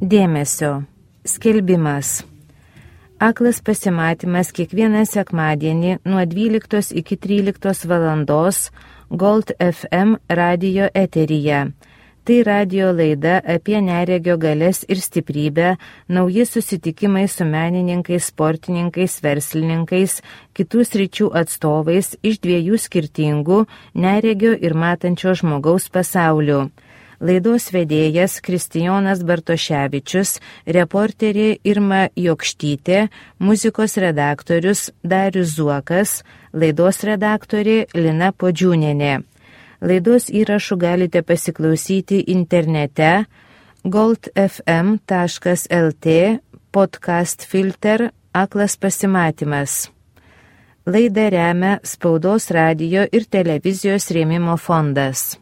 Dėmesio. Skelbimas. Aklas pasimatymas kiekvieną sekmadienį nuo 12 iki 13 valandos Gold FM radijo eteryje. Tai radijo laida apie neregio galias ir stiprybę, nauji susitikimai su menininkais, sportininkais, verslininkais, kitų sričių atstovais iš dviejų skirtingų neregio ir matančio žmogaus pasaulių. Laidos vedėjas Kristijonas Bartoševičius, reporterė Irma Jokštytė, muzikos redaktorius Darius Zuokas, laidos redaktorė Lina Podžiūnienė. Laidos įrašų galite pasiklausyti internete goldfm.lt podcast filter Aklas pasimatymas. Laidą remia Spaudos radijo ir televizijos rėmimo fondas.